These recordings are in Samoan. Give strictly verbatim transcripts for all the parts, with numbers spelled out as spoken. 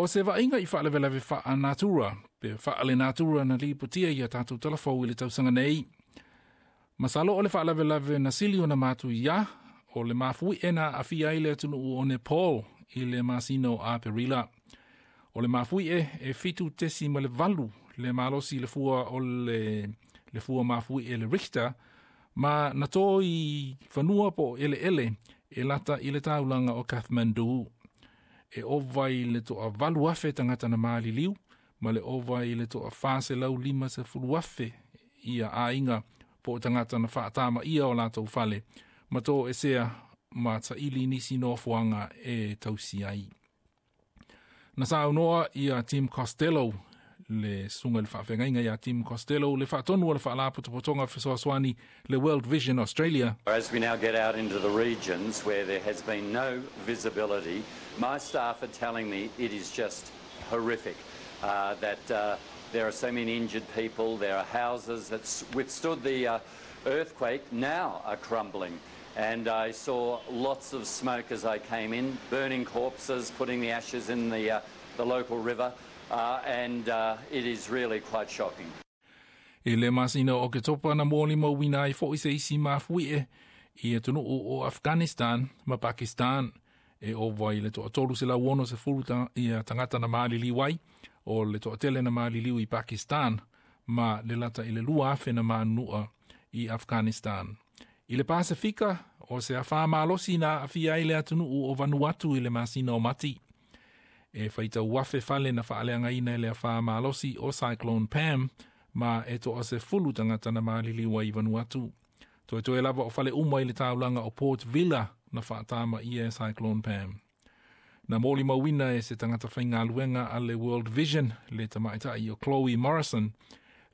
O se vaaiga i faalavelave faalenatura, pe faalenatura na lipotia ia tatou talafou i le tausaga nei. Masalo o le faalavelave na sili ona matuia o le mafuie na aafia ai le atunuu o Nepal i le masina o Aperila. O le mafuie e fitu tesi ma le valu le malosi le fua o le, le fua mafuie le Richter, ma na to i fanua po ele ele e lata i le taulaga o Kathmandu. E ova i le toavalu afe tagata na maliliu, ma le ova i le toafa selau lima sefulu afe ia aiga po tagata na faatamaia o latou fale, ma toesea ma saili nisi nofoaga e tausi ai. Na saunoa ia Tim Costello, le susuga le faafeagaiga ia Tim Costello, le faatonu o le faalapotopotoga fesoasoani le World Vision Australia. As we now get out into the regions where there has been no visibility, my staff are telling me it is just horrific uh, that uh, there are so many injured people, there are houses that withstood the uh, earthquake now are crumbling. And I saw lots of smoke as I came in, burning corpses, putting the ashes in the, uh, the local river, uh, and uh, it is really quite shocking. I le masina o Oketopa na molimauina ai fo'i se isi mafuie i atunuu o Afghanistan ma Pakistan e ova i le toatolu selau ono sefulu ta, ia tagata na maliliu ai o le toatele na maliliu i Pakistan ma le lata i le lua afe na manunua i Afghanistan. I le Pasifika, o se afa malosi na aafia ai le atunuu o Vanuatu i le masina o Mati. E faitau afe fale na faaleagaina i le afa malosi o Cyclone Pam ma e toasefulu tagata na maliliu ai i Vanuatu. Toetoe lava o fale uma i le taulaga o Port Vila na faatamaia e Cyclone Pam. Na molimauina e se tagata faigaluega a le World Vision, le tamaitai o Chloe Morrison,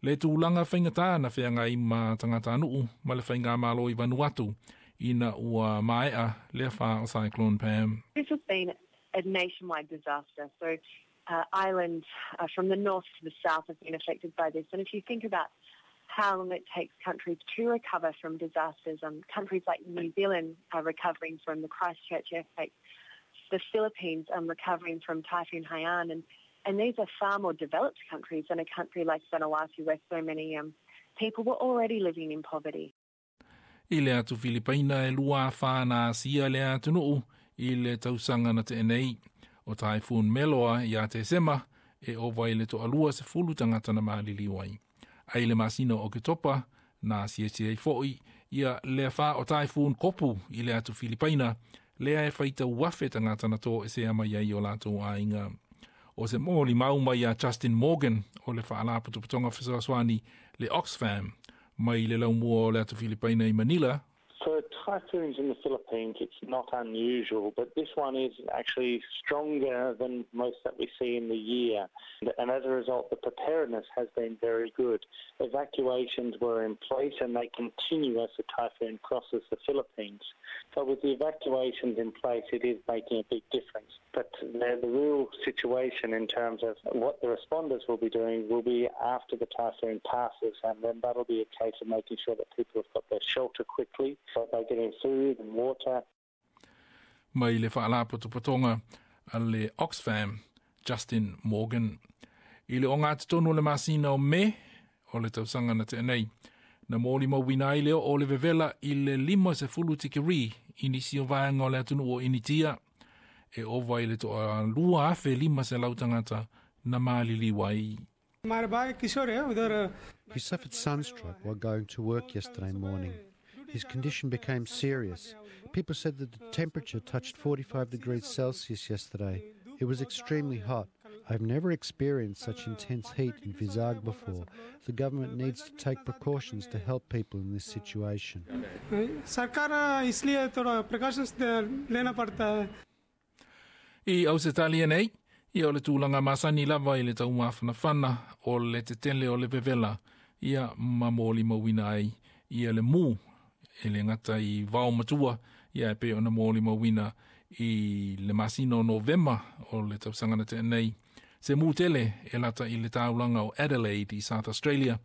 le tulaga faigata na feagai ma tagatanuu ma le faigamalo i Vanuatu ina ua maea le afa o Cyclone Pam. This has been a nationwide disaster. So uh, islands uh, from the north to the south have been affected by this. And if you think about how long it takes countries to recover from disasters, um, countries like New Zealand are recovering from the Christchurch earthquake, the Philippines are recovering from Typhoon Haiyan, and, and these are far more developed countries than a country like Vanuatu, where so many um, people were already living in poverty. I le atu Filipaina e lua afa na asia le atunuu i le tausaga na tea nei. O Typhoon Meloa ia Tesema e ova i le toalua sefulu tagata na maliliu ai. Ai le masina o Oketopa na asiasi ai fo'i ia le afa o Typhoon Koppu i le atu Filipaina lea e faitau afe tagata na toesea mai ai o latou aiga. O se molimau mai ia Justin Morgan o le faalapotopotoga fesoasoani le Oxfam mai le laumua o le atu Filipaina i Manila. For typhoons in the Philippines, it's not unusual, but this one is actually stronger than most that we see in the year. And as a result, the preparedness has been very good. Evacuations were in place and they continue as the typhoon crosses the Philippines. So with the evacuations in place, it is making a big difference. But the, the real situation in terms of what the responders will be doing will be after the typhoon passes, and then that'll be a case of making sure that people have got their shelter quickly, so they're getting food and water. Mai le faalapotopotoga a le Oxfam, Justin Morgan. I le ogatotonu o le masina o Me o le tausaga na tea nei, na molimauina ai le o le vevela i le lima sefulu tikeri i nisi o vaega o le atunuu o Initia e ova i le toalua afe lima selau tagata na maliliu ai. He suffered sunstroke while going to work yesterday morning. His condition became serious. People said that the temperature touched forty-five degrees Celsius yesterday. It was extremely hot. I've never experienced such intense heat in Vizag before. The government needs to take precautions to help people in this situation. सरकार इसलिए थोड़ा precautions लेना पड़ता है. I Ausetalia nei, ia o le tulaga masani lava i le taumafanafana o le tetele o le vevela, ia ma molimauina ai ia le mu e le gata i vaomatua, ia e pei ona molimauina i le masina o Novema o le tausaga na tea nei. Se mu tele e lata i le taulaga o Adelaide i South Australia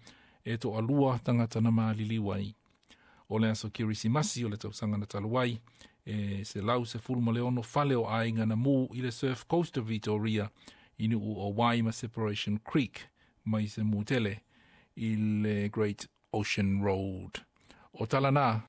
e toalua tagata na maliliu ai. O le aso Kerisimasi o le tausaga na talu ai e selau sefulu ma le ono fale o aiga na mu i le Surf Coast of Victoria. I nuu o Wai ma Separation Creek mai se mutele i le Great Ocean Road. O tala na.